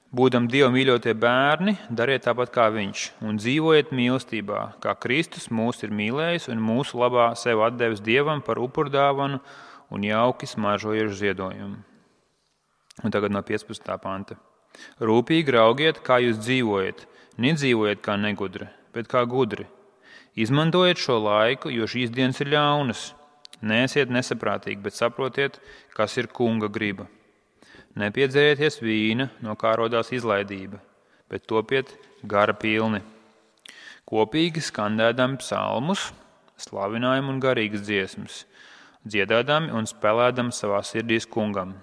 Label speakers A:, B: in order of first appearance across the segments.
A: Būdam Dieva mīļotie bērni, dariet tāpat kā Viņš, un dzīvojiet mīlestībā, kā Kristus mūs ir mīlējis un mūsu labā sev atdevis Dievam par upurdāvanu un jauki smaržojošu ziedojumu. Un tagad no 15. panta. Rūpīgi raugiet, kā jūs dzīvojat, nedzīvojiet kā negudri, bet kā gudri. Izmantojiet šo laiku, jo šīs dienas ir ļaunas. Neesiet nesaprātīgi, bet saprotiet, kas ir kunga griba. Nepiedzerieties vīna, no kā rodās izlaidība, bet topiet gara pilni. Kopīgi skandēdami psalmus, slavinājumu un garīgas dziesmas, dziedādami un spēlēdami savā sirdīs kungam.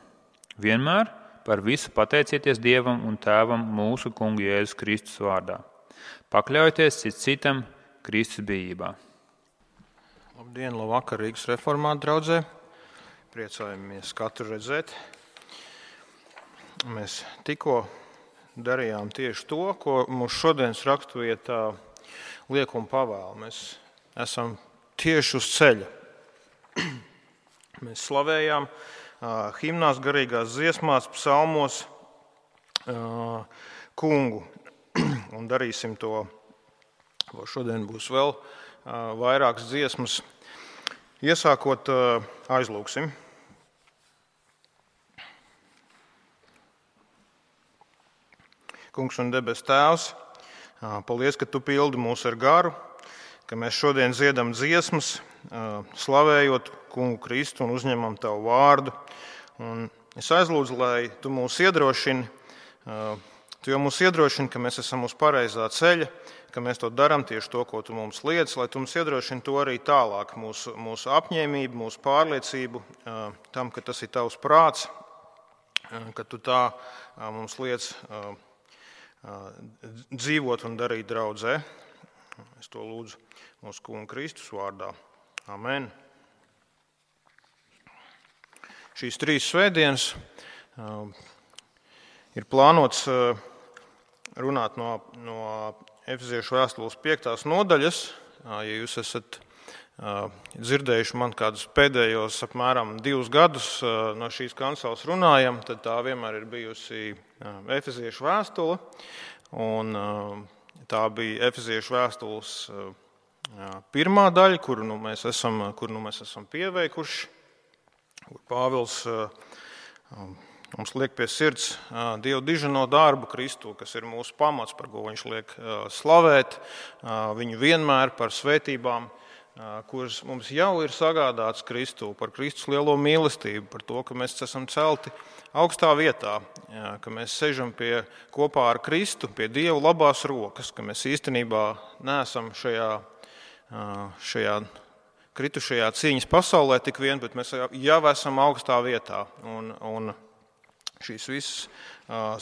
A: Vienmēr par visu pateicieties Dievam un Tēvam mūsu kungu Jēzus Kristus vārdā. Pakļaujieties cits citam Kristus bijībā.
B: Labdien, labvakar, Rīgas reformātu draudzē. Priecājamies katru redzēt. Mēs tikko darījām tieši to, ko mūsu šodienas raksturvietā liek un pavēl. Mēs esam tieši uz ceļa. Mēs slavējām himnās, garīgās dziesmās, psalmos kungu. Un darīsim to, šodien būs vēl vairākas dziesmas. Iesākot aizlūksim. Kungs un debes Tēvs, paldies, ka Tu pildi mūs ar garu, ka mēs šodien dziedam dziesmas, slavējot Kungu Kristu un uzņemam Tavu vārdu. Un es aizlūdzu, lai Tu mūs iedrošini, Tu jau mūs iedrošini, ka mēs esam uz pareizā ceļa, ka mēs to darām tieši to, ko Tu mums liec, lai Tu mums iedrošini to arī tālāk, mūsu apņēmību, mūsu pārliecību tam, ka tas ir Tavs prāts, ka Tu tā mums liec dzīvot un darīt draudzē. Es to lūdzu mūsu Kunga Kristus vārdā. Amen. Šīs 3 svētdienas ir plānots runāt no Efeziešu vēstules 5. nodaļas. Ja jūs esat dzirdējuši man kādus pēdējos apmēram 2 gadus no šīs kanceles runājam, tad tā vienmēr ir bijusi Efeziešu vēstule. Un tā bija Efeziešu vēstules pirmā daļa, kuru mēs esam pieveikuši, kur Pāvils mums liek pie sirds Dieva diženo darbu Kristu, kas ir mūsu pamats, par ko viņš liek slavēt viņu vienmēr par svētībām, kuras mums jau ir sagādāts Kristu, par Kristus lielo mīlestību, par to, ka mēs esam celti augstā vietā, ka mēs sežam kopā ar Kristu pie Dieva labās rokas, ka mēs īstenībā neesam šajā kritušajā cīņas pasaulē tik vien, bet mēs jau esam augstā vietā. Un šīs visas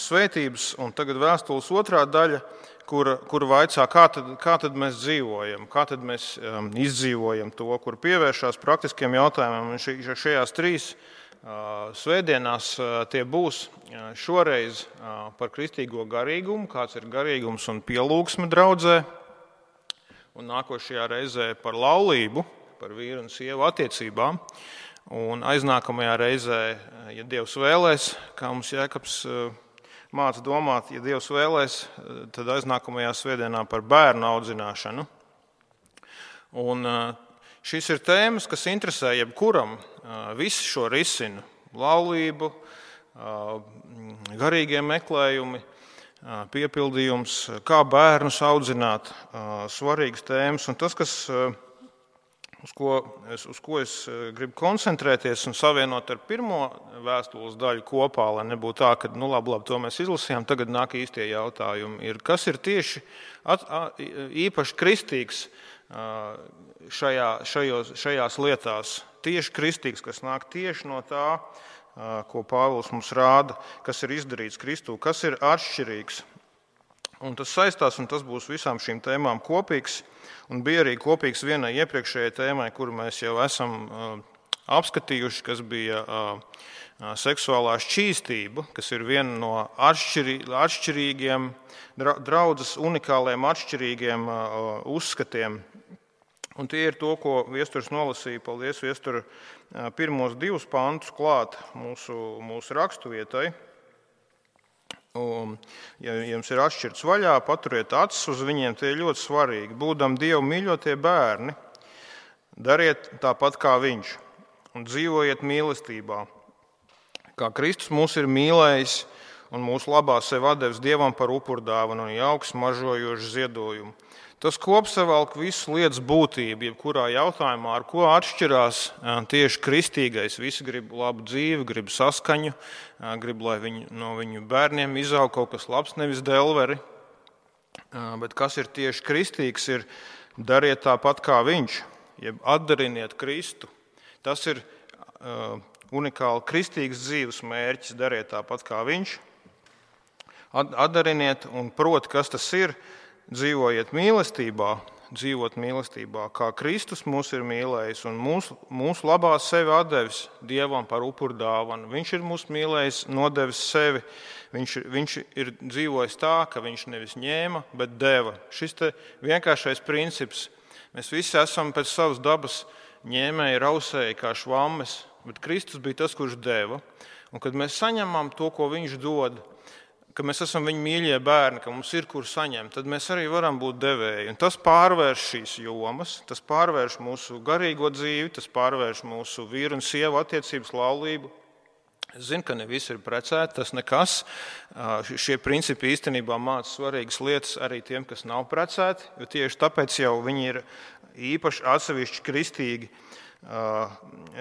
B: svētības, un tagad vēstules 2. daļa, kur vaicā, kā tad mēs dzīvojam, kā tad mēs izdzīvojam to, kur pievēršās praktiskiem jautājumiem. Un šajās 3 svētdienās tie būs šoreiz par kristīgo garīgumu, kāds ir garīgums un pielūgsme draudzē, un nākošajā reizē par laulību, par vīru un sievu attiecībām, un aiznākamajā reizē, ja Dievs vēlēs, kā mums Jēkabs māca domāt, ja Dievs vēlēs, tad aiznākamajā svētdienā par bērnu audzināšanu. Un šīs ir tēmas, kas interesē jebkuram, visu šo risinu, laulību, garīgie meklējumi, piepildījums, kā bērnus audzināt, svarīgas tēmas. Un tas, uz ko es gribu koncentrēties un savienot ar pirmo vēstules daļu kopā, lai nebūtu tā, ka labi, to mēs izlasījām, tagad nāk īstie jautājumi, ir, kas ir tieši īpaši kristīgs šajās lietās, tieši kristīgs, kas nāk tieši no tā, ko Pāvils mums rāda, kas ir izdarīts Kristū, kas ir atšķirīgs. Un tas saistās, un tas būs visām šīm tēmām kopīgs, un bija arī kopīgs vienai iepriekšējai tēmai, kuru mēs jau esam apskatījuši, kas bija seksuālā šķīstība, kas ir viena no atšķirīgiem, draudzes unikāliem atšķirīgiem uzskatiem. Un tie ir to, ko Viesturs nolasīja, paldies Viestura, pirmos 2 pantus klāt mūsu raksturvietai. Ja jums ir atšķirts vaļā, paturiet acis uz viņiem, tie ir ļoti svarīgi. Būdam Dievu mīļotie bērni, dariet tāpat kā Viņš un dzīvojiet mīlestībā. Kā Kristus mūs ir mīlējis un mūsu labā sevi atdevis Dievam par upurdāvanu un jauku smaržojošu ziedojumu. Tas kopsavilk visu lietas būtību, jebkurā jautājumā, ar ko atšķirās tieši kristīgais. Visi grib labu dzīvi, grib saskaņu, grib, lai no viņu bērniem izaug kaut kas labs, nevis delveri. Bet kas ir tieši kristīgs, ir dariet tāpat kā Viņš, jeb atdariniet Kristu. Tas ir unikāli kristīgs dzīves mērķis, dariet tāpat kā Viņš. Atdariniet un proti, kas tas ir. Dzīvojiet mīlestībā, kā Kristus mūs ir mīlējis un mūsu labā sevi atdevis Dievam par upurdāvanu. Viņš ir mūs mīlējis, nodevis sevi. Viņš ir dzīvojis tā, ka viņš nevis ņēma, bet deva. Šis te vienkāršais princips. Mēs visi esam pēc savas dabas ņēmēji, rausēji kā švammes, bet Kristus bija tas, kurš deva. Un kad mēs saņemam to, ko viņš dod, ka mēs esam viņa mīļie bērni, ka mums ir kur saņemt, tad mēs arī varam būt devēji. Un tas pārvērš šīs jomas, tas pārvērš mūsu garīgo dzīvi, tas pārvērš mūsu vīru un sievu attiecības laulību. Es zinu, ka ne visi ir precēti, tas nekas. Šie principi īstenībā māca svarīgas lietas arī tiem, kas nav precēti, jo tieši tāpēc jau viņi ir īpaši atsevišķi kristīgi,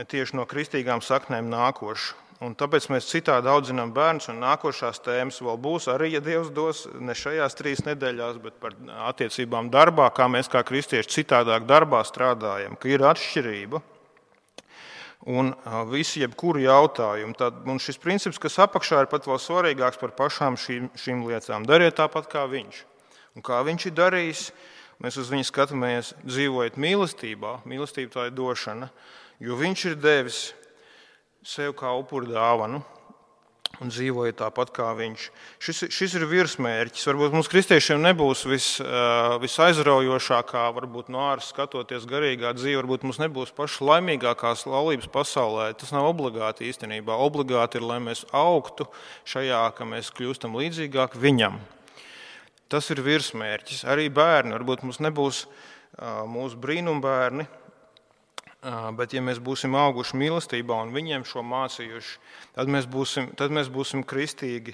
B: tieši no kristīgām saknēm nākoši. Un tāpēc mēs citādi audzinām bērnus, un nākošās tēmas vēl būs arī, ja Dievs dos, ne šajās 3 nedēļās, bet par attiecībām darbā, kā mēs kā kristieši citādāk darbā strādājam, ka ir atšķirība un visi jebkuru jautājumu. Un šis princips, kas apakšā ir pat vēl svarīgāks par pašām šīm lietām. Dariet tāpat kā Viņš. Un kā Viņš ir darījis, mēs uz viņu skatāmies, dzīvojot mīlestībā, mīlestība tā ir došana, jo Viņš ir devis sev kā upurdāvanu un dzīvoja tāpat kā Viņš. Šis ir virsmērķis. Varbūt mums kristiešiem nebūs visaizraujošākā, varbūt no ārsta skatoties garīgā dzīve, varbūt mums nebūs paša laimīgākās laulības pasaulē. Tas nav obligāti īstenībā. Obligāti ir, lai mēs augtu šajā, ka mēs kļūstam līdzīgāk Viņam. Tas ir virsmērķis. Arī bērni. Varbūt mums nebūs mūsu brīnumbērni, bet ja mēs būsim auguši mīlestībā un viņiem šo mācījuši, tad mēs būsim kristīgi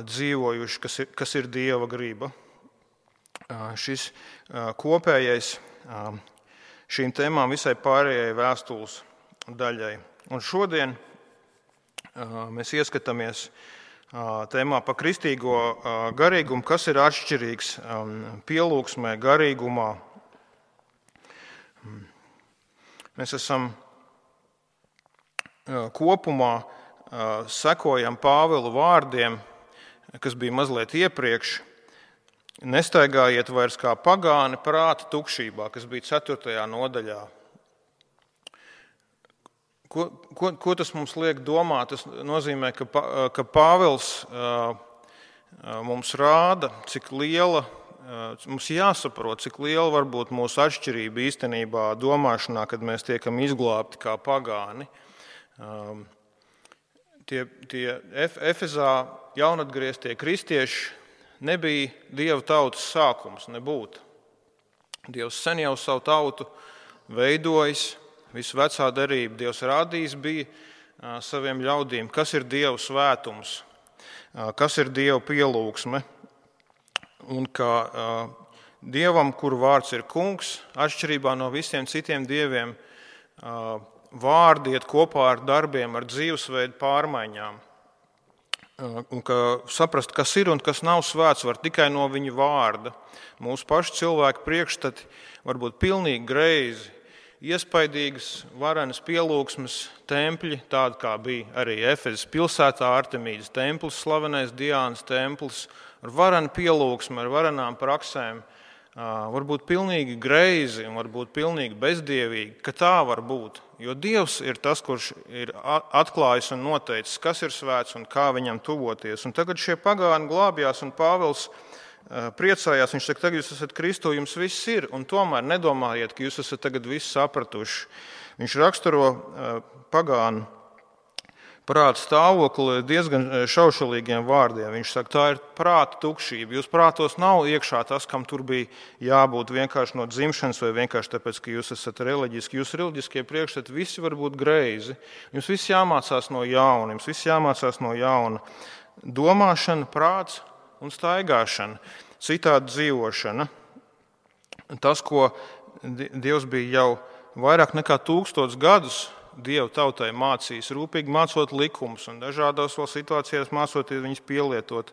B: dzīvojuši, kas ir Dieva griba. Šis kopējais šīm tēmām visai pārējai vēstules daļai. Un šodien mēs ieskatāmies tēmā par kristīgo garīgumu, kas ir atšķirīgs pielūgsmē, garīgumā. Mēs esam kopumā sekojam Pāvila vārdiem, kas bija mazliet iepriekš. Nestaigājiet vairs kā pagāni prāta tukšībā, kas bija 4. nodaļā. Ko tas mums liek domāt? Tas nozīmē, ka Pāvils mums rāda, cik liela. Mums jāsaprot, cik liela var būt mūsu atšķirība īstenībā domāšanā, kad mēs tiekam izglābti kā pagāni. Tie Efezā jaunatgrieztie kristieši nebija Dieva tautas sākums, nebūtu. Dievs sen jau savu tautu veidojis, visu vecā derību Dievs rādījis bija saviem ļaudīm, kas ir Dieva svētums, kas ir Dieva pielūgsme. Un ka Dievam, kuru vārds ir kungs, atšķirībā no visiem citiem dieviem, vārdi iet kopā ar darbiem, ar dzīvesveidu pārmaiņām. Un ka saprast, kas ir un kas nav svēts, var tikai no viņa vārda. Mūsu pašu cilvēku priekšstati var būt pilnīgi greizi, iespaidīgas, varenas pielūgsmes tempļi, tādi kā bija arī Efezas pilsētā Artemīdas templis, slavenais Diānas templis, ar varenu pielūgsmi, ar varenām praksēm, var būt pilnīgi greizi un var būt pilnīgi bezdievīgi, ka tā var būt. Jo Dievs ir tas, kurš ir atklājis un noteicis, kas ir svēts un kā viņam tuvoties. Un tagad šie pagāni glābjās un Pāvils priecājās. Viņš saka, tagad jūs esat Kristu, jums viss ir, un tomēr nedomājiet, ka jūs esat tagad visu sapratuši. Viņš raksturo pagānu prāta stāvokli diezgan šaušalīgiem vārdiem. Viņš saka, tā ir prāta tukšība. Jūs prātos nav iekšā tas, kam tur bija jābūt vienkārši no dzimšanas vai vienkārši tāpēc, ka jūs esat reliģiski. Jūs reliģiskie priekšstati visi var būt greizi. Jums viss jāmācās no jauna. Jums viss jāmācās no jauna. Domāšana, prāts un staigāšana, citādi dzīvošana. Tas, ko Dievs bija jau vairāk nekā 1000 gadus Dieva tautai mācījis, rūpīgi mācot likumus un dažādās vēl situācijās mācoties viņus pielietot.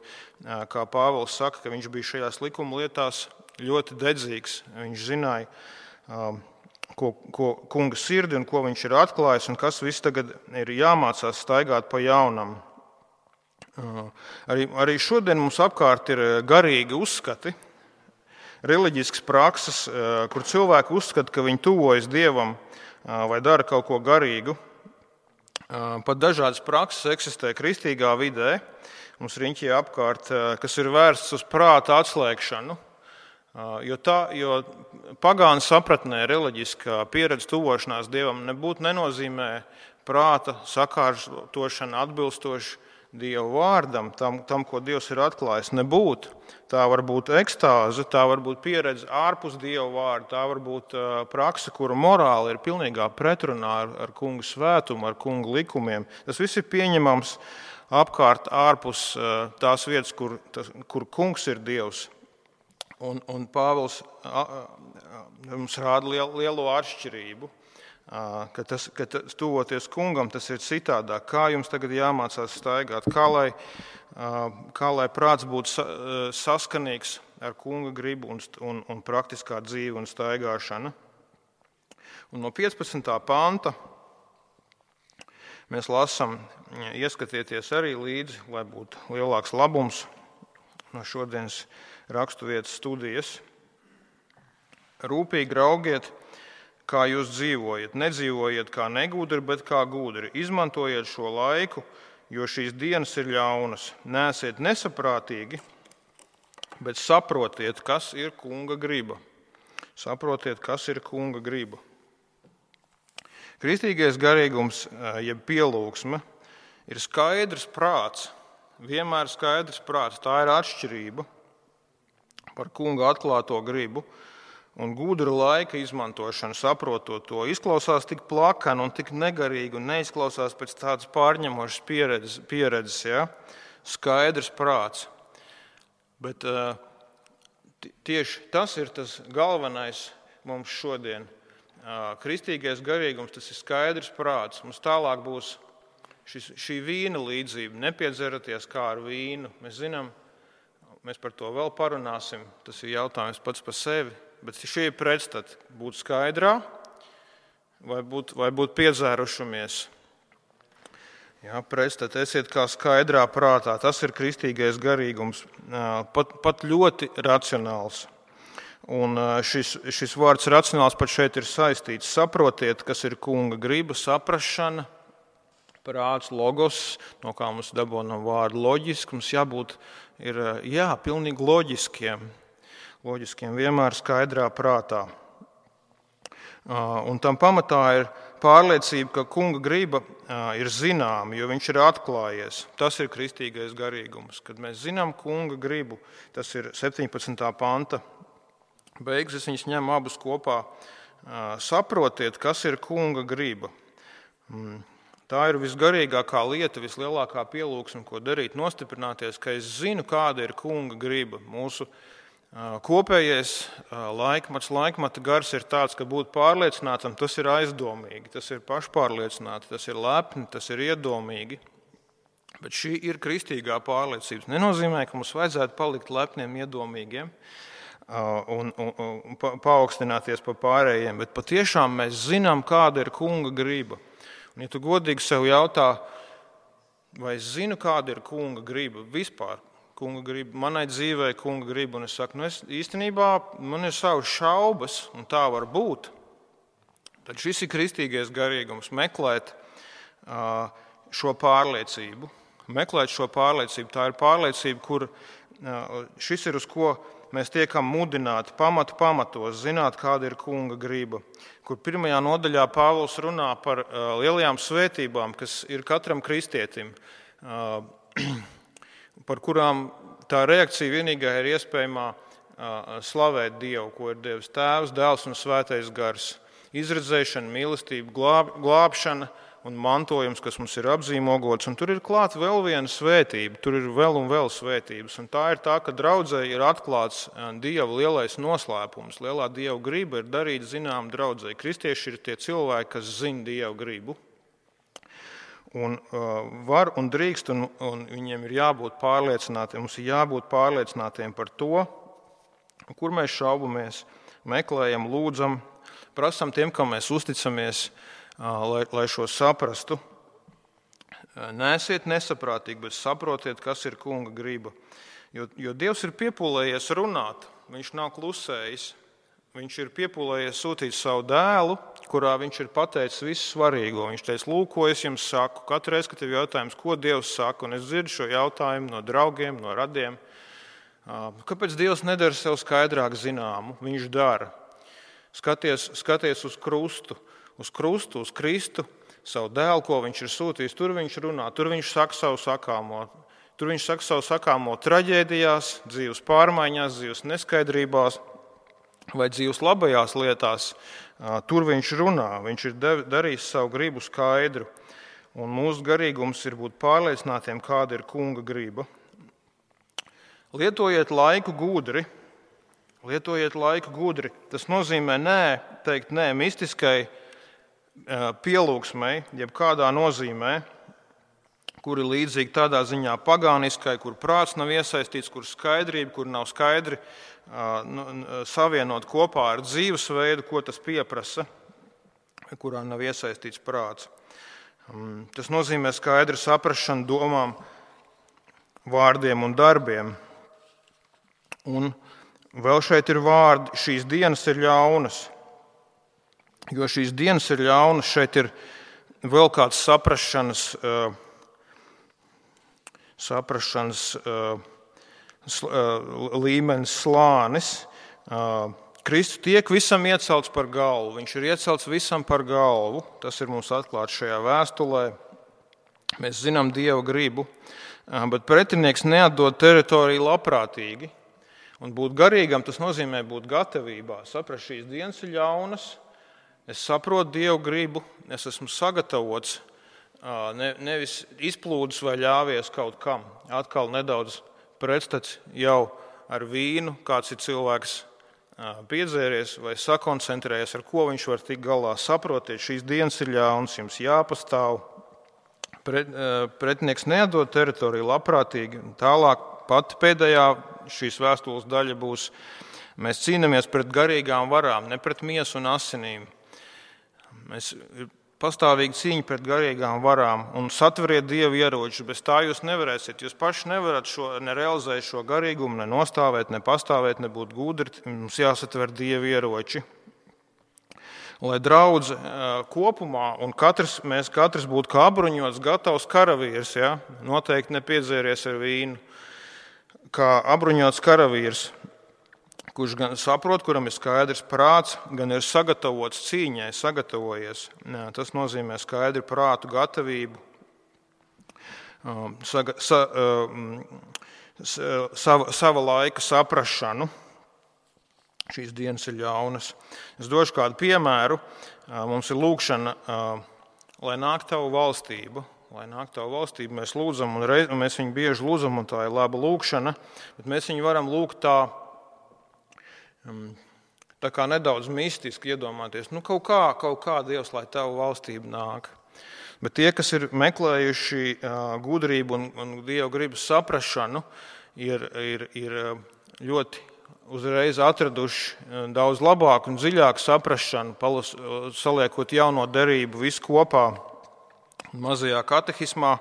B: Kā Pāvils saka, ka viņš bija šajās likuma lietās ļoti dedzīgs. Viņš zināja, ko kunga sirdi un ko viņš ir atklājis un kas viss tagad ir jāmācās staigāt pa jaunam. Arī šodien mums apkārt ir garīgi uzskati, reliģisks prakses, kur cilvēki uzskata, ka viņi tuvojas Dievam vai dara kaut ko garīgu. Pat dažādas prakses eksistē kristīgā vidē, mums riņķī apkārt, kas ir vērsts uz prāta atslēgšanu, jo pagānu sapratnē reliģiskā pieredze tuvošanās Dievam nebūtu nenozīmē prāta sakārtošana atbilstoši Dieva vārdam, tam, ko Dievs ir atklājis, nebūtu. Tā var būt ekstāze, tā var būt pieredze ārpus Dieva vārda, tā var būt prakse, kura morāli ir pilnīgā pretrunā ar kunga svētumu, ar kunga likumiem. Tas viss ir pieņemams apkārt ārpus tās vietas, kur kungs ir Dievs. Un Pāvils mums rāda lielo atšķirību. Ka tuvoties kungam, tas ir citādāk. Kā jums tagad jāmācās staigāt? Kā lai prāts būtu saskanīgs ar kunga gribu un praktiskā dzīve un staigāšana? Un no 15. panta mēs lasām, ieskatieties arī līdzi, lai būtu lielāks labums no šodienas raksturvietas studijas. Rūpīgi raugiet, kā jūs dzīvojat. Nedzīvojiet kā negudri, bet kā gudri. Izmantojiet šo laiku, jo šīs dienas ir ļaunas. Neesiet nesaprātīgi, bet saprotiet, kas ir kunga griba. Saprotiet, kas ir kunga griba. Kristīgais garīgums, jeb pielūgsme, ir skaidrs prāts. Vienmēr skaidrs prāts. Tā ir atšķirība par kunga atklāto gribu. Un gudra laika izmantošana, saprotot to, izklausās tik plakani un tik negarīgi un neizklausās pēc tādas pārņemošas pieredzes, ja? Skaidrs prāts. Bet tieši tas ir tas galvenais mums šodien. Kristīgais garīgums, tas ir skaidrs prāts. Mums tālāk būs šī vīna līdzība, nepiedzeraties kā ar vīnu. Mēs zinām, mēs par to vēl parunāsim, tas ir jautājums pats par sevi. Bet šī ir pretstata būt skaidrā vai būt piedzērušamies. Jā, pretstata esiet kā skaidrā prātā. Tas ir kristīgais garīgums, pat ļoti racionāls. Un šis vārds racionāls pat šeit ir saistīts. Saprotiet, kas ir kunga griba, saprašana, prāts, logos, no kā mums dabonam vārdu loģiski. Mums jābūt pilnīgi loģiskiem. Loģiskiem, vienmēr skaidrā prātā. Un tam pamatā ir pārliecība, ka kunga griba ir zināma, jo viņš ir atklājies. Tas ir kristīgais garīgums. Kad mēs zinām kunga gribu, tas ir 17. panta beigas, es viņus ņemu abus kopā. Saprotiet, kas ir kunga griba. Tā ir visgarīgākā lieta, vislielākā pielūgsme, ko darīt, nostiprināties, ka es zinu, kāda ir kunga griba. Mūsu kopējais laikmata gars ir tāds, ka būt pārliecinātam, tas ir aizdomīgi, tas ir pašpārliecināti, tas ir lepni, tas ir iedomīgi. Bet šī ir kristīgā pārliecība. Nenozīmē, ka mums vajadzētu palikt lepniem, iedomīgiem un paaugstināties pa pārējiem, bet patiešām mēs zinām, kāda ir kunga griba. Un ja tu godīgi sev jautā, vai es zinu, kāda ir kunga griba vispār, kunga griba, manai dzīvē kunga griba, un es saku, es īstenībā man ir savas šaubas, un tā var būt. Tad šis ir kristīgais garīgums, meklēt šo pārliecību. Tā ir pārliecība, kur šis ir, uz ko mēs tiekam mudināti pamatos, zināt, kāda ir kunga griba. Kur 1. nodaļā Pāvils runā par lielajām svētībām, kas ir katram kristietim, par kurām tā reakcija vienīgā ir iespējamā slavēt Dievu, ko ir Dievs Tēvs, Dēls un Svētais Gars. Izredzēšana, mīlestība, glābšana un mantojums, kas mums ir apzīmogots. Un tur ir klāt vēl viena svētība, tur ir vēl un vēl svētības. Un tā ir tā, ka draudzē ir atklāts Dieva lielais noslēpums. Lielā Dieva griba ir darīt zinām draudzē. Kristieši ir tie cilvēki, kas zina Dieva gribu. Un var un drīkst, un viņiem ir jābūt pārliecinātiem. Mums ir jābūt pārliecinātiem par to, kur mēs šaubamies, meklējam, lūdzam, prasam tiem, kam mēs uzticamies, lai šo saprastu. Neesiet nesaprātīgi, bet saprotiet, kas ir kunga griba. Jo Dievs ir piepūlējies runāt, viņš nav klusējis. Viņš ir piepūlējies sūtīt savu dēlu, kurā viņš ir pateicis visu svarīgo. Viņš teica, lūk, ko es jums saku. Katru reizi, kad tev jautājums, ko Dievs saka, un es dzirdu šo jautājumu no draugiem, no radiem. Kāpēc Dievs nedara sev skaidrāk zināmu? Viņš dara. Skaties uz krustu, uz Kristu, savu dēlu, ko viņš ir sūtījis. Tur viņš runā, tur viņš saka savu sakāmo. Tur viņš saka savu sakāmo traģēdijās, dzīves pārmaiņās, dzīves neskaidrībās vai dzīves labajās lietās. Tur viņš runā, viņš ir darījis savu gribu skaidru. Un mūsu garīgums ir būt pārliecinātiem, kāda ir kunga griba. Lietojiet laiku gudri. Tas nozīmē teikt nē mistiskai pielūgsmei, jeb kādā nozīmē, kur ir līdzīgi tādā ziņā pagāniskai, kur prāts nav iesaistīts, kur skaidrība, kur nav skaidri savienot kopā ar dzīvesveidu, ko tas pieprasa, kurā nav iesaistīts prāts. Tas nozīmē skaidru saprašanu domām, vārdiem un darbiem. Un vēl šeit ir vārdi, šīs dienas ir ļaunas. Jo šīs dienas ir ļaunas, šeit ir vēl kāds saprašanas līmenis, slānis. Kristus tiek visam iecelts par galvu. Viņš ir iecelts visam par galvu. Tas ir mums atklāts šajā vēstulē. Mēs zinām Dieva gribu, bet pretinieks neatdod teritoriju labprātīgi. Un būt garīgam, tas nozīmē būt gatavībā. Saprast, šīs dienas ir ļaunas. Es saprotu Dievu gribu, es esmu sagatavots, nevis izplūdis vai ļāvies kaut kam. Atkal nedaudz pretstats jau ar vīnu, kāds ir cilvēks piedzēries vai sakoncentrējies, ar ko viņš var tikt galā. Saprotiet, šīs dienas ir ļaunas, jums jāpastāv. Pretinieks neatdod teritoriju labprātīgi. Tālāk pat pēdējā šīs vēstules daļa būs, mēs cīnāmies pret garīgām varām, ne pret miesu un asinīm. Mēs pastāvīgi cīņa pret garīgām varām un satveriet Dieva ieročus. Bez tā jūs nevarēsiet. Jūs paši nevarat nerealizēt šo garīgumu, ne nostāvēt, ne pastāvēt, ne būt gudri. Mums jāsatver Dieva ieroči. Lai draudze kopumā un mēs katrs būtu kā apbruņots, gatavs karavīrs, ja? Noteikti nepiedzēries ar vīnu. Kā apbruņots karavīrs, kurš gan saprot, kuram ir skaidrs prāts, gan ir sagatavots cīņai, sagatavojies. Tas nozīmē skaidru prātu gatavību, sava laika saprašanu. Šīs dienas ir ļaunas. Es došu kādu piemēru. Mums ir lūkšana, lai nāk tavu valstību. Lai nāk tavu valstību, mēs lūdzam, un mēs viņu bieži lūdzam, un tā ir laba lūkšana, bet mēs viņu varam lūgt tā kā nedaudz mistiski iedomāties. Kaut kā Dievs, lai tavu valstību nāk. Bet tie, kas ir meklējuši gudrību un Dieva gribas saprašanu, ir ļoti uzreiz atraduši daudz labāku un dziļāku saprašanu, saliekot jauno derību visu kopā mazajā katehismā,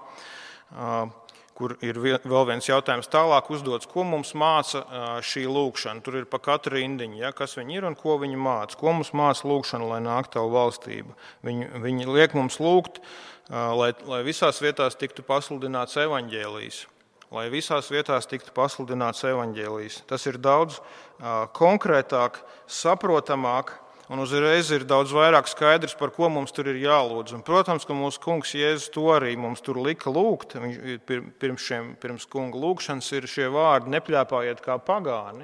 B: kur ir vēl viens jautājums tālāk uzdots, ko mums māca šī lūkšana. Tur ir pa katru rindiņu, ja, kas viņi ir un ko viņi māca. Ko mums māca lūkšana, lai nāk tavu valstību. Viņi liek mums lūgt, lai visās vietās tiktu pasludināts evaņģēlijs. lai visās vietās tiktu pasludināts evaņģēlijs. Tas ir daudz konkrētāk, saprotamāk, un uzreiz ir daudz vairāk skaidrs, par ko mums tur ir jālūdz. Un, protams, ka mūsu kungs Jēzus to arī mums tur lika lūgt. Pirms kunga lūgšanas ir šie vārdi: nepļāpājiet kā pagāni,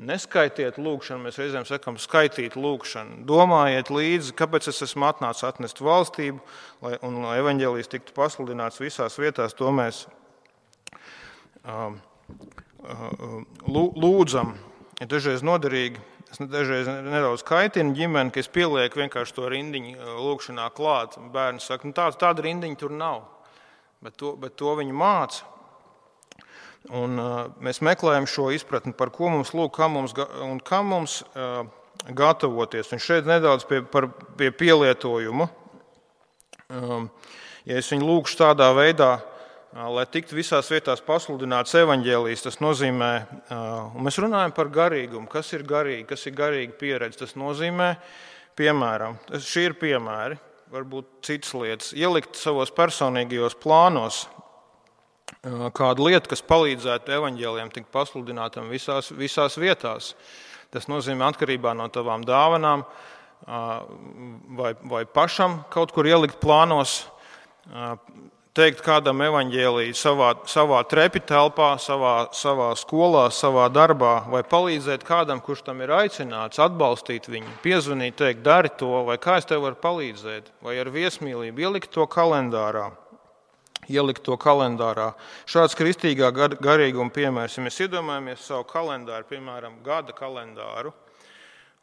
B: neskaitiet lūgšanu, mēs reizēm sakam skaitīt lūgšanu. Domājiet līdzi, kāpēc es esmu atnācis atnest valstību, lai evaņģēlijs tiktu pasludināts visās vietās. To mēs lūdzam. Ir dažreiz noderīgi, es dažreiz nedaudz kaitinu ģimeni, ka es pielieku vienkārši to rindiņu lūgšanā klāt. Bērni saka, tāda rindiņa tur nav, bet to viņi māca. Un mēs meklējam šo izpratni, par ko mums lūk, kā mums gatavoties. Un šeit nedaudz pie pielietojuma. Ja es viņu lūkšu tādā veidā, lai tiktu visās vietās pasludināts evaņģēlijs, tas nozīmē, un mēs runājam par garīgumu, kas ir garīga pieredze. Tas nozīmē, piemēram, šī ir piemēri, varbūt citas lietas, ielikt savos personīgajos plānos kādu lietu, kas palīdzētu evaņģēlijam tikt pasludinātam visās vietās. Tas nozīmē atkarībā no tavām dāvanām vai pašam kaut kur ielikt plānos, teikt kādam evaņģēliju savā trepitelpā, savā skolā, savā darbā, vai palīdzēt kādam, kurš tam ir aicināts, atbalstīt viņu, piezvanīt, teikt, dari to, vai kā es tev varu palīdzēt, vai ar viesmīlību ielikt to kalendārā. Šāds kristīgā garīguma piemērs, ja mēs iedomājamies savu kalendāru, piemēram, gada kalendāru,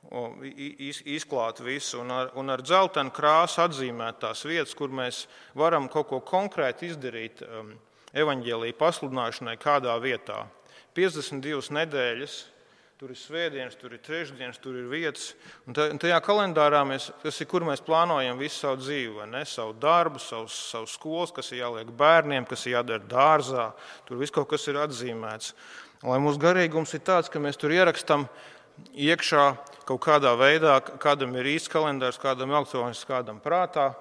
B: izklāt visu un ar dzeltenu krāsu atzīmēt tās vietas, kur mēs varam kaut ko konkrēti izdarīt evaņģēlija pasludināšanai kādā vietā. 52 nedēļas, tur ir svētdienas, tur ir trešdienas, tur ir vietas. Un tajā kalendārā kur mēs plānojam visu savu dzīvi, vai ne? Savu darbu, savu skolas, kas ir jāliek bērniem, kas ir jādara dārzā. Tur viss kaut kas ir atzīmēts. Lai mūsu garīgums ir tāds, ka mēs tur ierakstam iekšā kaut kādā veidā, kādam ir īsts kalendārs, kādam elektronisks, kādam prātā,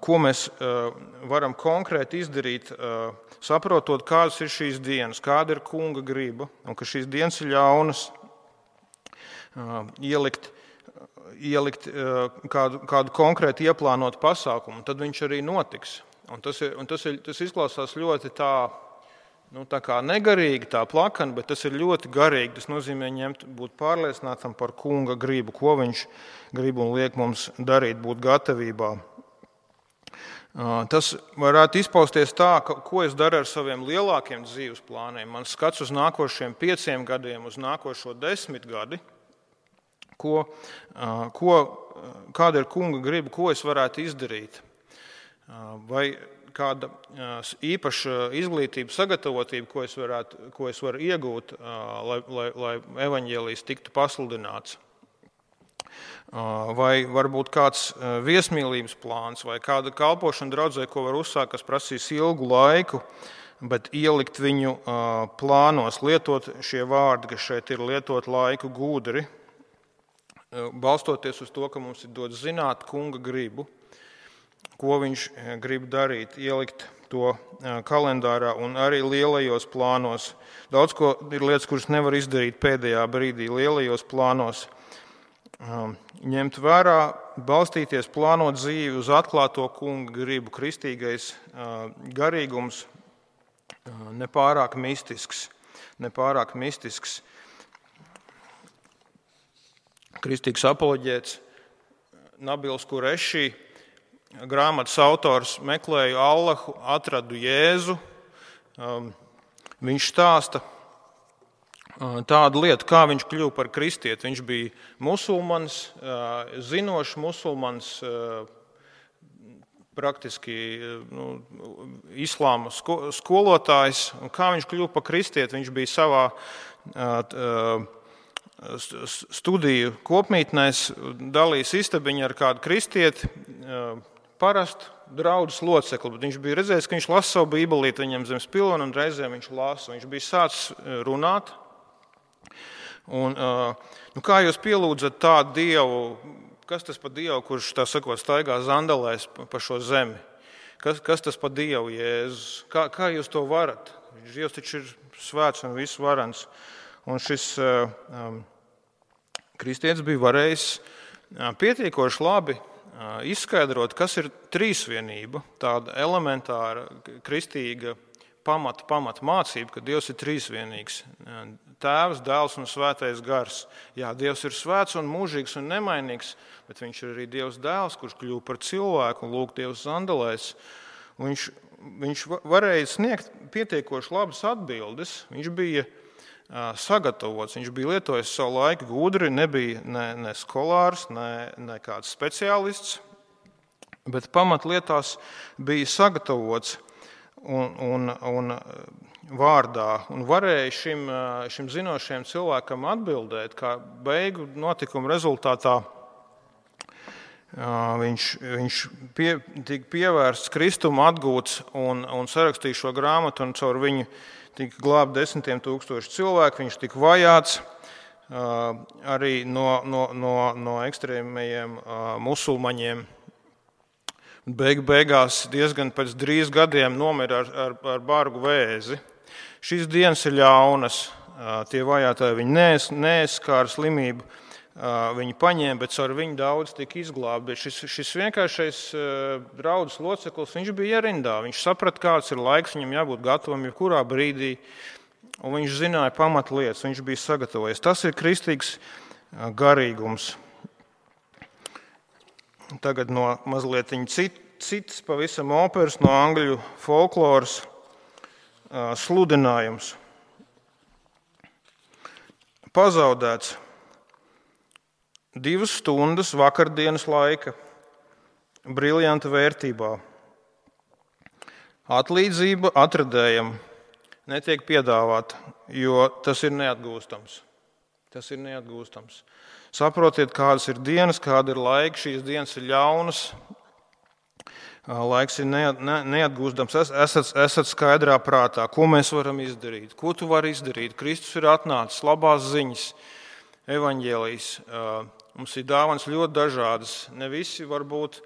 B: ko mēs varam konkrēti izdarīt, saprotot, kādas ir šīs dienas, kāda ir kunga griba, un ka šīs dienas ir ļaunas, ielikt kādu konkrēti ieplānotu pasākumu, tad viņš arī notiks. Un tas izklausās ļoti tā kā negarīgi, tā plakani, bet tas ir ļoti garīgi. Tas nozīmē būt pārliecinātam par kunga gribu, ko viņš grib un liek mums darīt, būt gatavībā. Tas varētu izpausties tā, ko es daru ar saviem lielākiem dzīves plāniem. Man skats uz nākošiem 5 gadiem, uz nākošo 10 gadi, kāda ir kunga griba, ko es varētu izdarīt. Vai kāda īpaša izglītība, sagatavotība, ko es varu iegūt, lai evaņģēlijs tiktu pasludināts. Vai varbūt kāds viesmīlības plāns, vai kāda kalpošana draudzē, ko var uzsākt, kas prasīs ilgu laiku, bet ielikt viņu plānos, lietot šie vārdi, kas šeit ir, lietot laiku gudri, balstoties uz to, ka mums ir dots zināt kunga gribu, ko viņš grib darīt, ielikt to kalendārā un arī lielajos plānos. Daudz ko ir lietas, kuras nevar izdarīt pēdējā brīdī lielajos plānos. Ņemt vērā, balstīties, plānot dzīvi uz atklāto kunga gribu, kristīgais garīgums, nepārāk mistisks. Kristīgs apoloģēts Nabils Kurešī, grāmatas autors, meklēju Allahu, atradu Jēzu. Viņš stāsta tādu lietu, kā viņš kļuva par kristieti. Viņš bija musulmanis, zinošs musulmanis, praktiski islāma skolotājs. Un kā viņš kļuva par kristieti? Viņš bija savā studiju kopmītnēs, dalījis istabiņu ar kādu kristieti, parastu draudzes locekli, bet viņš bija redzējis, ka viņš lasa savu bībelīti viņam zem spilvena, un reizēm viņš lasa. Viņš bija sācis runāt. Un, kā jūs pielūdzat tādu Dievu, kas tas par Dievu, kurš, tā sakot, staigā zandalēs pa šo zemi? Kas tas pa Dievu, Jēzus? Kā jūs to varat? Dievs taču ir svēts un visvarens. Un šis kristietis bija varējis pietiekoši labi izskaidrot, kas ir trīsvienība, tāda elementāra kristīga pamata mācība, ka Dievs ir trīsvienīgs. Tēvs, Dēls un Svētais Gars. Jā, Dievs ir svēts un mūžīgs un nemainīgs, bet viņš ir arī Dievs Dēls, kurš kļuva par cilvēku un lūk Dievs zandelēs. Viņš varēja sniegt pietiekoši labas atbildes. Viņš bija sagatavots, viņš bija lietojis savu laiku gudri, nebija ne skolārs, ne kāds speciālists, bet pamatlietās bija sagatavots un vārdā, un varēja šim zinošajam cilvēkam atbildēt, kā beigu notikuma rezultātā viņš tika pievērsts Kristuma, atgūts un sarakstīja šo grāmatu, un caur viņu tika glābti 10 000 cilvēku, viņš tika vajāts arī no ekstrēmajiem musulmaņiem. Beigās diezgan pēc 3 gadiem nomira ar bargu vēzi. Šīs dienas ir ļaunas, tie vajātāji viņi neaizskāra slimību, viņi paņēma, bet ar viņu daudz tika izglābti. Šis vienkāršais draudzes loceklis, viņš bija rindā, viņš saprata, kāds ir laiks, viņam jābūt gatavam jebkurā brīdī, un viņš zināja pamatlietas, viņš bija sagatavojies. Tas ir kristīgs garīgums. Tagad no mazliet cits pavisam operas, no angļu folkloras sludinājums. Pazaudēts 2 stundas vakardienas laika briljanta vērtībā. Atlīdzība atradējam netiek piedāvāta, jo tas ir neatgūstams. Tas ir neatgūstams. Saprotiet, kādas ir dienas, kāda ir laika. Šīs dienas ir ļaunas. Laiks ir neatgūstams. Esat skaidrā prātā, ko mēs varam izdarīt. Ko tu vari izdarīt? Kristus ir atnācis, labās ziņas, evaņģēlijas. Mums ir dāvanas ļoti dažādas. Ne visi var būt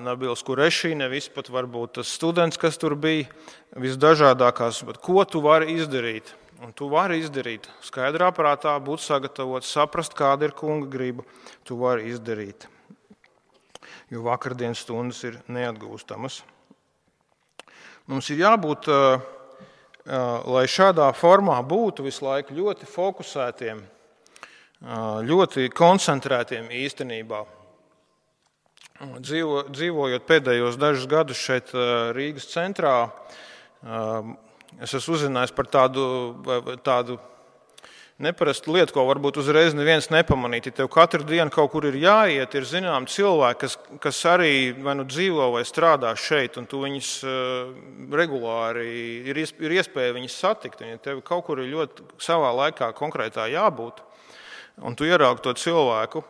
B: Nabils Kurešī, ne visi pat var būt tas students, kas tur bija, visdažādākās. Bet ko tu vari izdarīt? Un tu vari izdarīt skaidrā prātā, būt sagatavots, saprast, kāda ir kunga griba. Tu vari izdarīt, jo vakardienas stundas ir neatgūstamas. Mums ir jābūt, lai šādā formā būtu visu laiku ļoti fokusētiem, ļoti koncentrētiem īstenībā. Dzīvojot pēdējos dažus gadus šeit Rīgas centrā, es esmu uzzinājis par tādu neparastu lietu, ko varbūt uzreiz neviens nepamanīt. Ja tev katru dienu kaut kur ir jāiet, ir zinām cilvēki, kas arī vai nu dzīvo vai strādā šeit, un tu viņus regulāri ir iespēja viņus satikt. Un ja tev kaut kur ir ļoti savā laikā konkrētā jābūt, un tu ieraugi to cilvēku,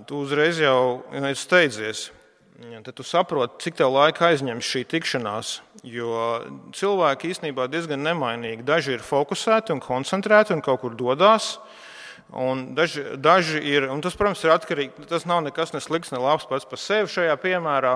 B: tu uzreiz jau steidzies. Tad tu saproti, cik tev laika aizņems šī tikšanās, jo cilvēki īstenībā diezgan nemainīgi. Daži ir fokusēti un koncentrēti un kaut kur dodās, un daži ir, un tas, protams, ir atkarīgi, tas nav nekas ne slikts, ne labs pats par sevi šajā piemērā,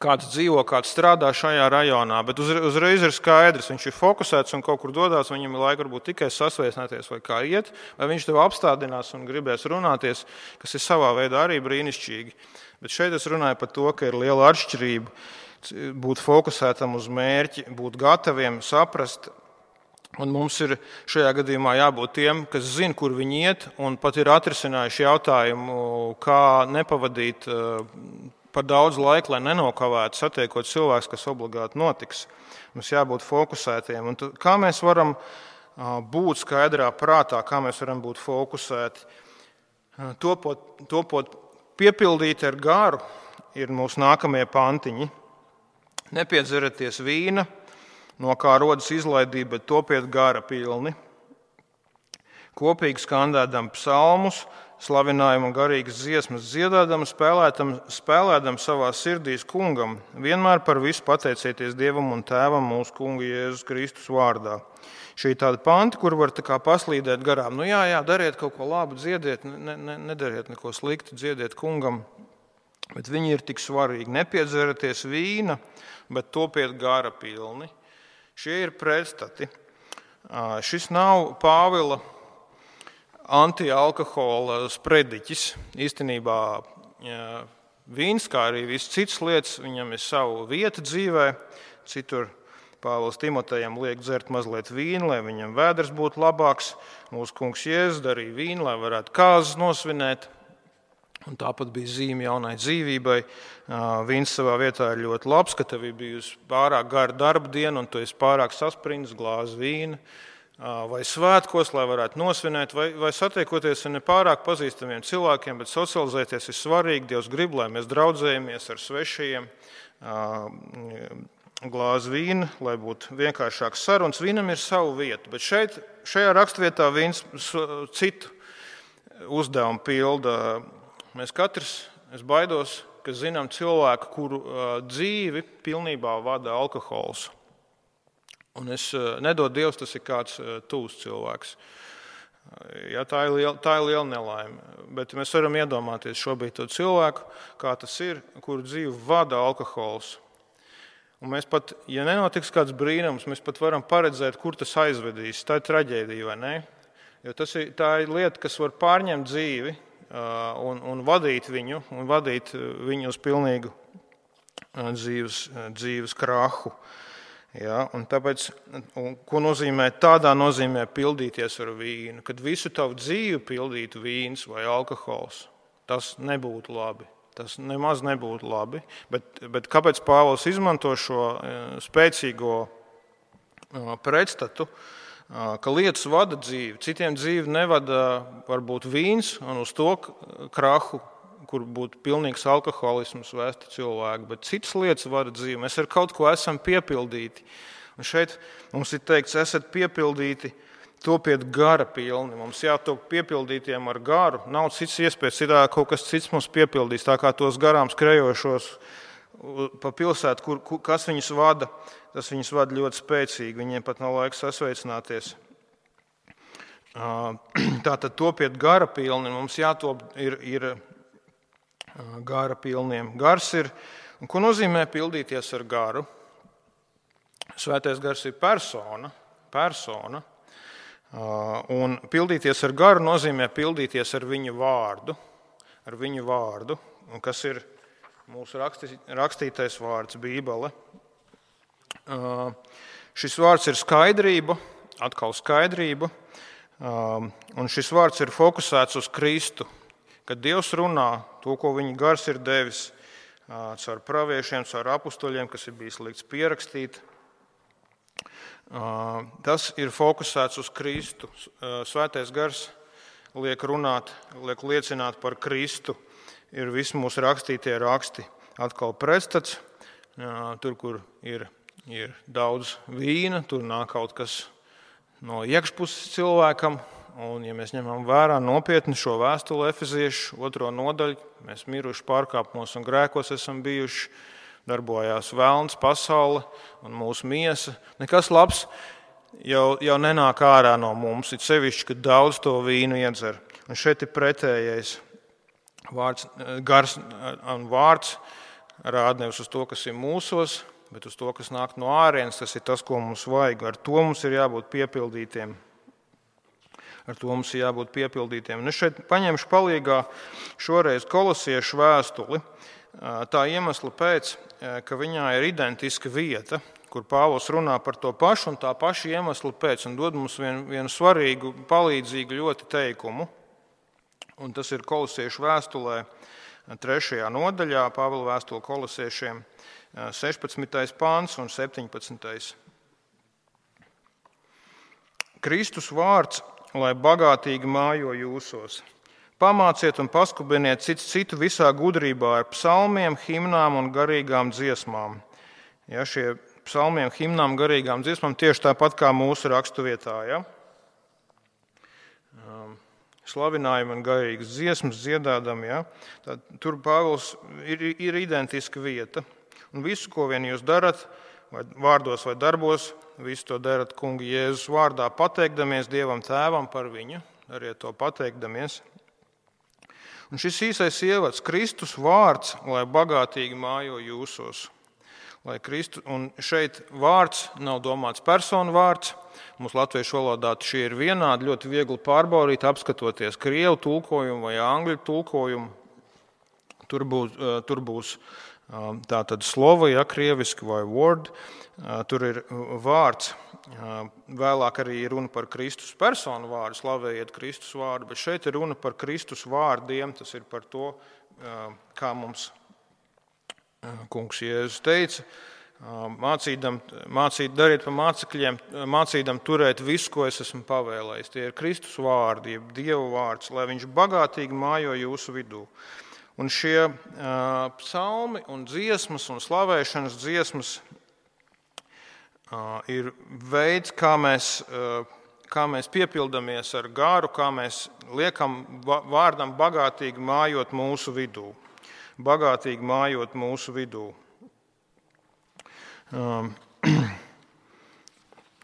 B: kāds dzīvo, kāds strādā šajā rajonā, bet uzreiz ir skaidrs, viņš ir fokusēts un kaut kur dodās, viņam ir laika varbūt tikai sasvēsnēties vai kā iet, vai viņš tev apstādinās un gribēs runāties, kas ir savā veidā arī brīnišķīgi. Bet šeit es runāju par to, ka ir liela atšķirība būt fokusētam uz mērķi, būt gataviem, saprast. Un mums ir šajā gadījumā jābūt tiem, kas zina, kur viņi iet, un pat ir atrisinājuši jautājumu, kā nepavadīt par daudz laika, lai nenokavētu satiekot cilvēks, kas obligāti notiks. Mums jābūt fokusētiem. Un kā mēs varam būt skaidrā prātā, kā mēs varam būt fokusēti, topot piepildīti ar garu, ir mūsu nākamie pantiņi. Nepiedzerieties vīna, no kā rodas izlaidība, bet topiet gara pilni. Kopīgi skandēdam psalmus, slavinājumu un garīgas dziesmas dziedādam, spēlēdam savā sirdīs kungam, vienmēr par visu pateicieties Dievam un Tēvam mūsu kunga Jēzus Kristus vārdā. Šī ir tāda panti, kur var paslīdēt garām. Jā, dariet kaut ko labu, dziediet, nedariet neko sliktu, dziediet kungam. Bet viņi ir tik svarīgi. Nepiedzeraties vīna, bet topiet gara pilni. Šie ir pretstati. Šis nav Pāvila antialkohola sprediķis. Īstenībā vīns, kā arī viss cits lietas, viņam ir savu vietu dzīvē. Citur Pāvils Timotejam liek dzert mazliet vīnu, lai viņam vēders būtu labāks. Mūsu kungs Jēzus darīja vīnu, lai varētu kāzas nosvinēt. Un tāpat bija zīme jaunai dzīvībai. Vīns savā vietā ir ļoti labs, ka tev ir bijusi pārāk gara darba diena un tu esi pārāk saspringts glāzi vīna. Vai svētkos, lai varētu nosvinēt, vai satiekoties ar nepārāk pazīstamiem cilvēkiem, bet socializēties ir svarīgi. Dievs grib, lai mēs draudzējamies ar svešajiem, glāzi vīna, lai būtu vienkāršāks sarunas. Vīnam ir savu vietu, bet šajā rakstvietā vīns citu uzdevumu pilda. Mēs katrs, es baidos, ka zinām cilvēku, kuru dzīvi pilnībā vada alkohols. Un es nedodu Dievs, tas ir kāds tūs cilvēks. Ja, tā ir liela nelaime. Bet mēs varam iedomāties šobrīd to cilvēku, kā tas ir, kuru dzīvi vada alkohols. Un mēs pat, ja nenotiks kāds brīnums, mēs pat varam paredzēt, kur tas aizvedīs. Tā ir traģēdija, vai ne? Jo tā ir lieta, kas var pārņemt dzīvi un vadīt viņu uz pilnīgu dzīves krahu. Ja, un tāpēc, ko nozīmē tādā nozīmē pildīties ar vīnu? Kad visu tavu dzīvi pildītu vīns vai alkohols, tas nebūtu labi. Tas nemaz nebūtu labi. Bet kāpēc Pāvils izmanto šo spēcīgo pretstatu, ka lietas vada dzīvi? Citiem dzīvi nevada varbūt vīns un uz to krahu, kur būtu pilnīgs alkoholisms vēsti cilvēki, bet citas lietas vada dzīvi. Mēs ar kaut ko esam piepildīti. Un šeit mums ir teikts, esat piepildīti, topiet gara pilni. Mums jātop piepildītiem ar garu. Nav cits iespējas, citādi kaut kas cits mums piepildīs. Tā kā tos garām skrejošos pa pilsētu, kas viņus vada, tas viņus vada ļoti spēcīgi. Viņiem pat nav laiks sasveicināties. Tātad topiet gara pilni. Mums jātop ir gara pilniem. Gars ir, un ko nozīmē pildīties ar garu? Svētais gars ir persona. Un pildīties ar garu nozīmē pildīties ar viņu vārdu, un kas ir mūsu rakstītais vārds Bībele. Šis vārds ir skaidrība, un šis vārds ir fokusēts uz Kristu. Kad Dievs runā to, ko viņa gars ir devis caur praviešiem, caur apustuļiem, kas ir bijis likts pierakstīt, tas ir fokusēts uz Kristu. Svētais gars liek liecināt par Kristu. Ir visi mūsu rakstītie raksti. Atkal pretstats, tur, kur ir daudz vīna, tur nāk kaut kas no iekšpuses cilvēkam. Un, ja mēs ņemam vērā nopietni šo vēstuli Efeziešu 2. nodaļu, mēs miruši pārkāpumos un grēkos esam bijuši, darbojās velns, pasaule un mūsu miesa. Nekas labs jau nenāk ārā no mums, it sevišķi, kad daudz to vīnu iedzer. Un šeit ir pretējais gars un vārds rāda nevis uz to, kas ir mūsos, bet uz to, kas nāk no ārienes. Tas ir tas, ko mums vajag. Ar to mums ir jābūt piepildītiem. Un es šeit paņemšu palīgā šoreiz Kolosiešu vēstuli. Tā iemesla pēc, ka viņā ir identiska vieta, kur Pāvils runā par to pašu, un tā paša iemesla pēc, un dod mums vienu svarīgu, palīdzīgu ļoti teikumu. Un tas ir Kolosiešu vēstulē 3. nodaļā, Pāvila vēstule Kolosiešiem 16. pāns un 17. Kristus vārds, lai bagātīgi mājo jūsos. Pamāciet un paskubiniet citu visā gudrībā ar psalmiem, himnām un garīgām dziesmām. Ja, šie psalmiem, himnām, garīgām dziesmām tieši tāpat kā mūsu raksturvietā. Ja? Slavinājumi un garīgas dziesmas dziedādam. Ja? Tad, tur Pāvils ir identiska vieta. Un visu, ko vien jūs darat, vai vārdos vai darbos, visu to darat kunga Jēzus vārdā, pateikdamies Dievam Tēvam par viņu. Dariet to pateikdamies. Un šis īsais ievads, Kristus vārds, lai bagātīgi mājo jūsos. Un šeit vārds nav domāts personu vārds. Mūsu latviešu valodā šie ir vienādi, ļoti viegli pārbaudīt, apskatoties krievu tulkojumu vai angļu tulkojumu. Tur būs tātad slova, ja krieviski vai word. Tur ir vārds. Vēlāk arī ir runa par Kristus personu vārdu, slavējiet Kristus vārdu, bet šeit ir runa par Kristus vārdiem. Tas ir par to, kā mums kungs Jēzus teica, dariet pa mācekļiem, mācīdam turēt visu, ko es esmu pavēlējis. Tie ir Kristus vārdi, jeb Dieva vārds, lai viņš bagātīgi mājo jūsu vidū. Un šie psalmi un dziesmas un slavēšanas dziesmas ir veids, kā mēs piepildamies ar garu, kā mēs liekam vārdam bagātīgi mājot mūsu vidū. Bagātīgi mājot mūsu vidū.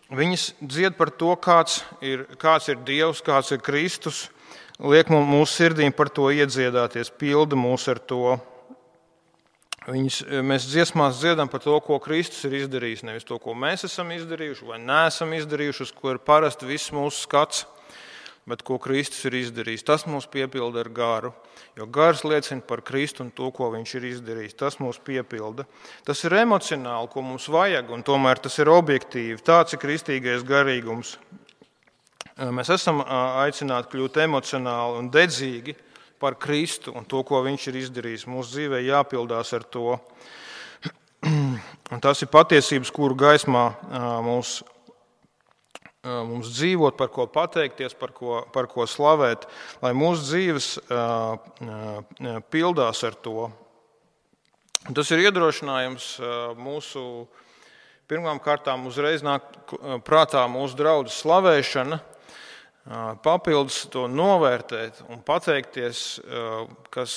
B: Viņas dzied par to, kāds ir Dievs, kāds ir Kristus, liek mūsu sirdīm par to iedziedāties, pilda mūs ar to. Mēs dziesmās dziedam par to, ko Kristus ir izdarījis, nevis to, ko mēs esam izdarījuši vai neesam izdarījuši, uz ko ir parasti viss mūsu skats, bet ko Kristus ir izdarījis. Tas mūs piepilda ar garu, jo gars liecina par Kristu un to, ko viņš ir izdarījis. Tas mūs piepilda. Tas ir emocionāli, ko mums vajag, un tomēr tas ir objektīvi. Tāds ir kristīgais garīgums. Mēs esam aicināti kļūt emocionāli un dedzīgi par Kristu un to, ko viņš ir izdarījis. Mūsu dzīvē jāpildās ar to. Un tas ir patiesības, kuru gaismā mums dzīvot, par ko pateikties, par ko slavēt, lai mūsu dzīves pildās ar to. Un tas ir iedrošinājums mūsu, pirmām kārtām uzreiz nāk prātā mūsu draudzes slavēšana, papildus to novērtēt un pateikties, kas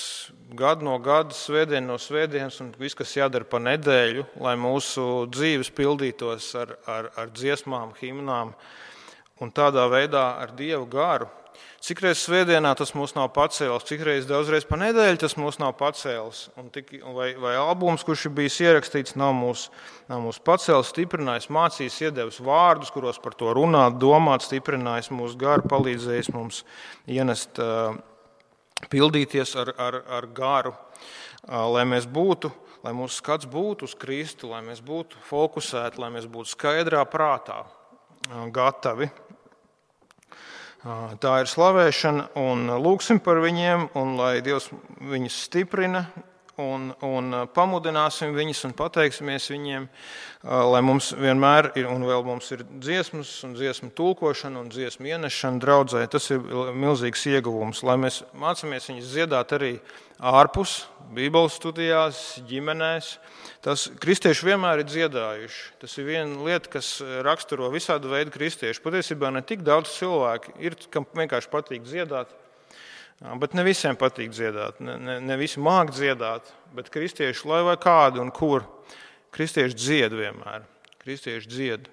B: gadu no gada, svētdien no svētdienas un viss, kas jādara pa nedēļu, lai mūsu dzīves pildītos ar dziesmām, himnām un tādā veidā ar Dievu garu. Cikreiz svētdienā tas mūs nav pacēlis, cikreiz daudzreiz pa nedēļu tas mūs nav pacēlis, vai albums, kurš ir bijis ierakstīts, nav mūs pacēlis, stiprinājis, mācījis, iedevis vārdus, kuros par to runāt, domāt, stiprinājis mūsu garu, palīdzējis mums ienest, pildīties ar garu, lai mūsu skats būtu uz Kristu, lai mēs būtu fokusēti, lai mēs būtu skaidrā prātā, gatavi. Tā ir slavēšana, un lūgsim par viņiem, un lai Dievs viņus stiprina, un pamudināsim viņus un pateiksimies viņiem, lai mums vienmēr ir, un vēl mums ir dziesmas, un dziesmu tulkošana, un dziesmu ienešana draudzē. Tas ir milzīgs ieguvums, lai mēs mācāmies viņus dziedāt arī ārpus, Bībeles studijās, ģimenēs. Tas kristieši vienmēr ir dziedājuši. Tas ir viena lieta, kas raksturo visādu veidu kristiešu. Patiesībā ne tik daudz cilvēku ir, kam vienkārši patīk dziedāt, bet ne visiem patīk dziedāt. Ne visi māk dziedāt, bet kristieši, lai vai kādi un kur, kristieši dzied vienmēr. Kristieši dzied.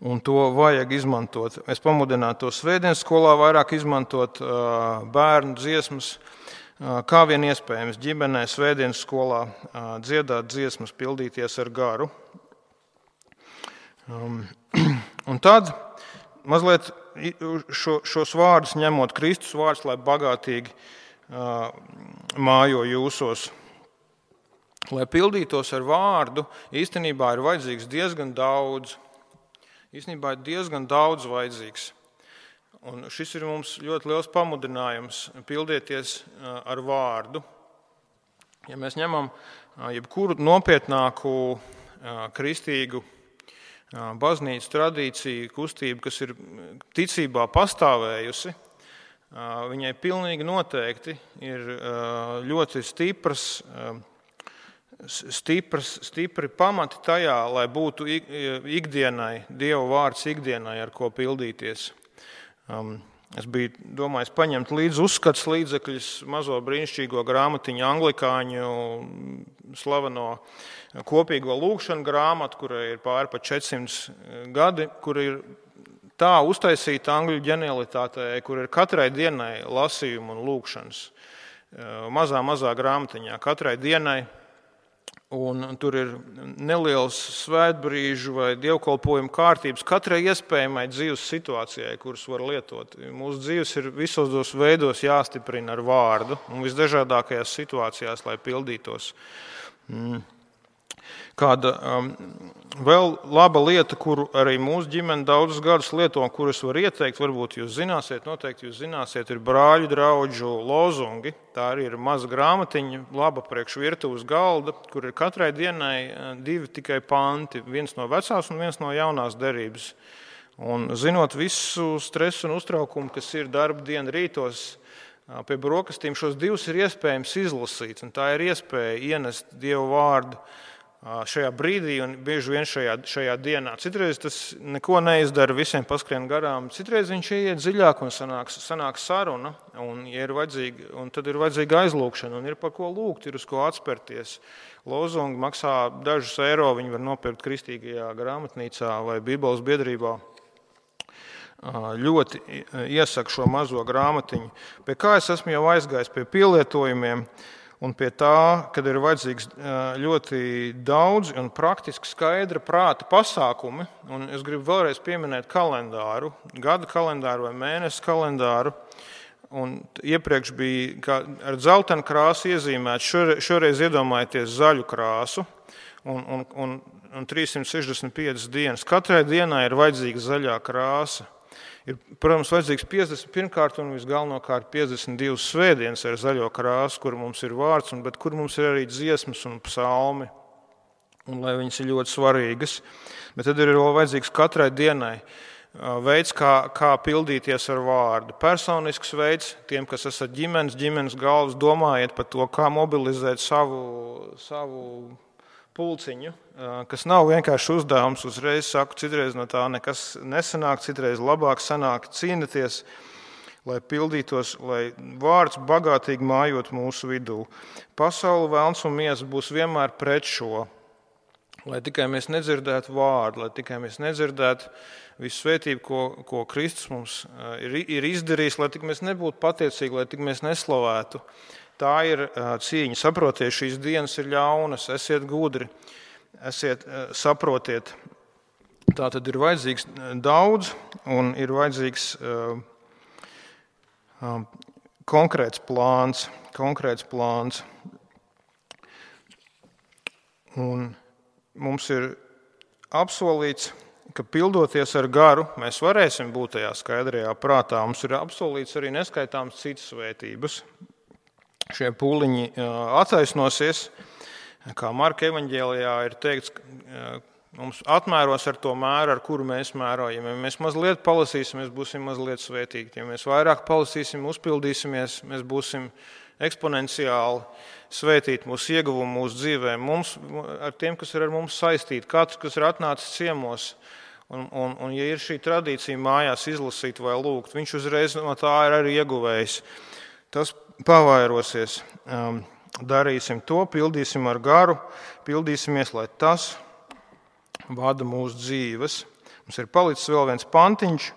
B: Un to vajag izmantot. Es pamudinātu to svētdienas skolā vairāk izmantot bērnu dziesmas, kā vien iespējams ģimenē, svētdienas skolā dziedāt dziesmas, pildīties ar garu. Un tad mazliet šos vārdus ņemot, Kristus vārds, lai bagātīgi mājo jūsos. Lai pildītos ar vārdu, īstenībā ir vajadzīgs diezgan daudz. Īstenībā ir diezgan daudz vajadzīgs. Un šis ir mums ļoti liels pamudinājums pildieties ar vārdu. Ja mēs ņemam jebkuru nopietnāku kristīgu baznīcu tradīciju, kustību, kas ir ticībā pastāvējusi, viņai pilnīgi noteikti ir ļoti stipri pamati tajā, lai būtu ikdienai, Dieva vārds ikdienai, ar ko pildīties. Es biju domājis paņemt līdzi uzskats līdzekļus, mazo brīnišķīgo grāmatiņu anglikāņu slaveno kopīgo lūgšanu grāmatu, kurai ir pāri pa 400 gadi, kur ir tā uztaisīta angļu ģenialitātē, kur ir katrai dienai lasījumi un lūkšanas. Mazā grāmatiņā katrai dienai. Un tur ir neliels svētbrīžu vai dievkalpojumu kārtības katrai iespējamai dzīves situācijai, kuras var lietot. Mūsu dzīves ir visos tos veidos jāstiprina ar vārdu un visdažādākajās situācijās, lai pildītos. Kāda vēl laba lieta, kuru arī mūsu ģimene daudzus gadus lieto, un kuras var ieteikt, varbūt jūs zināsiet, noteikti jūs zināsiet, ir brāļu draugu lozungi. Tā arī ir maza grāmatiņa, laba priekš virtuves galda, kur ir katrai dienai 2 tikai panti, viens no vecās un viens no jaunās derības. Un zinot visu stresu un uztraukumu, kas ir darba diena rītos, pie brokastīm šos 2 ir iespējams izlasīt, un tā ir iespēja ienest Dievu vārdu šajā brīdī un bieži vien šajā dienā. Citreiz tas neko neizdara, visiem paskrien garām. Citreiz viņš ieiet dziļāk un sanāk saruna, un tad ir vajadzīga aizlūkšana, un ir par ko lūgt, ir uz ko atspērties. Lozungi maksā dažus eiro, viņi var nopirkt kristīgajā grāmatnīcā vai Bībeles biedrībā. Ļoti iesaku šo mazo grāmatiņu. Pie kā es esmu jau aizgājis pie pielietojumiem, un pie tā, kad ir vajadzīgs ļoti daudz un praktiski skaidra prāta pasākumi, un es gribu vēlreiz pieminēt kalendāru, gada kalendāru vai mēnesi kalendāru, un iepriekš bija ar dzeltenu krāsu iezīmēts, šoreiz iedomājieties zaļu krāsu, un 365 dienas. Katrai dienai ir vajadzīga zaļā krāsa. Ir, protams, vajadzīgs 51. un visgalvenokārt 52 svētdienas ar zaļo krāsu, kur mums ir vārds, bet kur mums ir arī dziesmas un psalmi, un lai viņas ir ļoti svarīgas. Bet tad ir vēl vajadzīgs katrai dienai veids, kā pildīties ar vārdu. Personisks veids, tiem, kas esat ģimenes galvas, domājiet par to, kā mobilizēt savu pulciņu, kas nav vienkārši uzdevums, uzreiz saku, citreiz no tā nekas nesanāk, citreiz labāk sanāk cīnīties, lai pildītos, lai vārds bagātīgi mājot mūsu vidū. Pasaule, velns un miesa būs vienmēr pret šo, lai tikai mēs nedzirdētu vārdu, lai tikai mēs nedzirdētu visu svētību, ko Kristus mums ir izdarījis, lai tik mēs nebūtu pateicīgi, lai tik mēs neslavētu. Tā ir cīņa. Saprotiet, šīs dienas ir ļaunas, esiet gudri, saprotiet. Tā tad ir vajadzīgs daudz un ir vajadzīgs konkrēts plāns. Un mums ir apsolīts, ka pildoties ar garu, mēs varēsim būt tajā skaidrajā prātā. Mums ir apsolīts arī neskaitāms citas svētības. Šie pūliņi attaisnosies, kā Marka evaņģēlijā ir teikts, mums atmēros ar to mēru, ar kuru mēs mērojam. Ja mēs mazliet palasīsim, mēs būsim mazliet svētīgi. Ja mēs vairāk palasīsim, uzpildīsimies, mēs būsim eksponenciāli svētīti mūsu ieguvumu, mūsu dzīvē. Mums, ar tiem, kas ir ar mums saistīti, katrs, kas ir atnācis ciemos, un ja ir šī tradīcija mājās izlasīt vai lūgt, viņš uzreiz no tā ir arī ieguvējis. Tas pavairosies. Darīsim to, pildīsim ar garu, pildīsimies, lai tas vada mūsu dzīves. Mums ir palicis vēl viens pantiņš,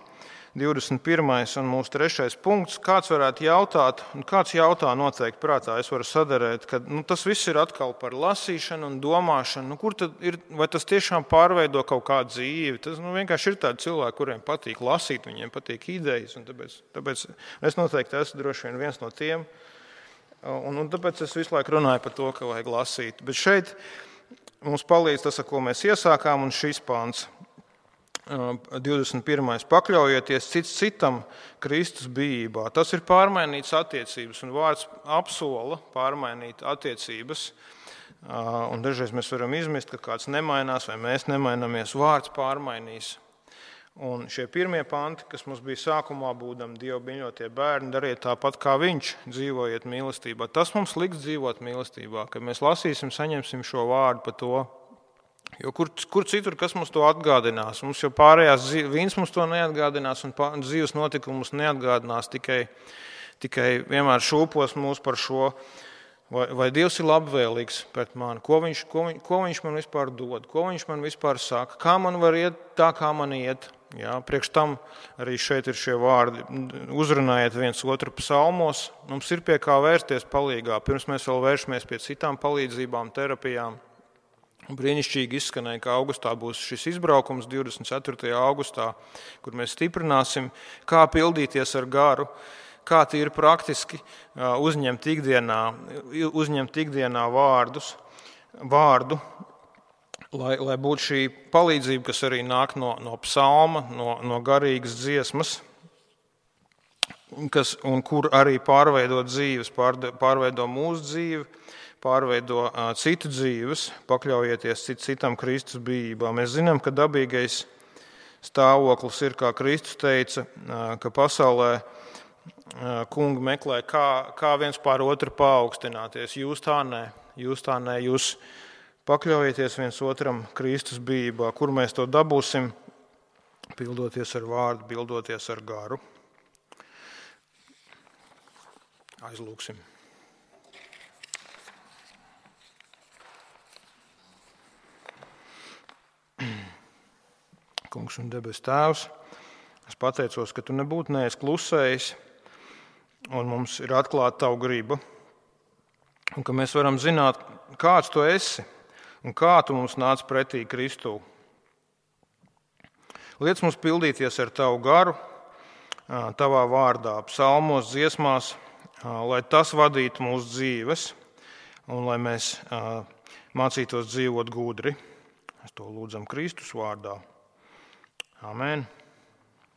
B: 21. un mūsu 3. punkts. Kāds varētu jautāt, un kāds jautā noteikti prātā, es varu sadarēt, ka tas viss ir atkal par lasīšanu un domāšanu. Kur tad ir, vai tas tiešām pārveido kaut kādu dzīvi? Tas vienkārši ir tādi cilvēki, kuriem patīk lasīt, viņiem patīk idejas, un tāpēc es noteikti esmu droši vien viens no tiem. Un tāpēc es visu laiku runāju par to, ka vajag lasīt. Bet šeit mums palīdz tas, ar ko mēs iesākām, un šis pāns 21. Pakļaujieties cits citam Kristus bijībā. Tas ir pārmainīts attiecības, un vārds apsola pārmainīt attiecības. Un dažreiz mēs varam izmest, ka kāds nemainās vai mēs nemainamies, vārds pārmainīs. Un šie pirmie panti, kas mums bija sākumā, būdami Dieva mīļotie bērni, dariet tāpat kā viņš, dzīvojiet mīlestībā. Tas mums liks dzīvot mīlestībā, kad mēs lasīsim, saņemsim šo vārdu par to. Jo kur citur, kas mums to atgādinās? Mums jau pārējās vīns mums to neatgādinās un dzīves notikumus neatgādinās, tikai vienmēr šūpos mūs par šo Vai Dievs ir labvēlīgs pret mani? Ko viņš man vispār dod? Ko viņš man vispār saka? Kā man var iet tā, kā man iet? Jā, priekš tam arī šeit ir šie vārdi. Uzrunājiet viens otru psalmos. Mums ir pie kā vērsties palīgā. Pirms mēs vēl vēršamies pie citām palīdzībām, terapijām. Brīnišķīgi izskanēja, ka augustā būs šis izbraukums 24. augustā, kur mēs stiprināsim, kā pildīties ar garu, kā tīri praktiski uzņemt ikdienā vārdu, lai būtu šī palīdzība, kas arī nāk no psalma, no garīgas dziesmas, un kur arī pārveido dzīves, pārveido mūsu dzīvi, pārveido citu dzīves, pakļaujieties citam Kristus bijībā. Mēs zinām, ka dabīgais stāvoklis ir, kā Kristus teica, ka pasaulē kungi meklē, kā viens pār otru paaugstināties. Jūs tā nē, jūs pakļaujieties viens otram Kristus bijībā. Kur mēs to dabūsim? Pildoties ar vārdu, pildoties ar garu. Aizlūksim. Kungs un debes Tēvs, es pateicos, ka Tu nebūtu neesi klusējis, un mums ir atklāta Tavu griba, un ka mēs varam zināt, kāds Tu esi, un kā Tu mums nāc pretī Kristū. Liec mums pildīties ar Tavu garu, Tavā vārdā, psalmos, dziesmās, lai tas vadītu mūsu dzīves, un lai mēs mācītos dzīvot gudri. Mēs to lūdzam Kristus vārdā. Amen.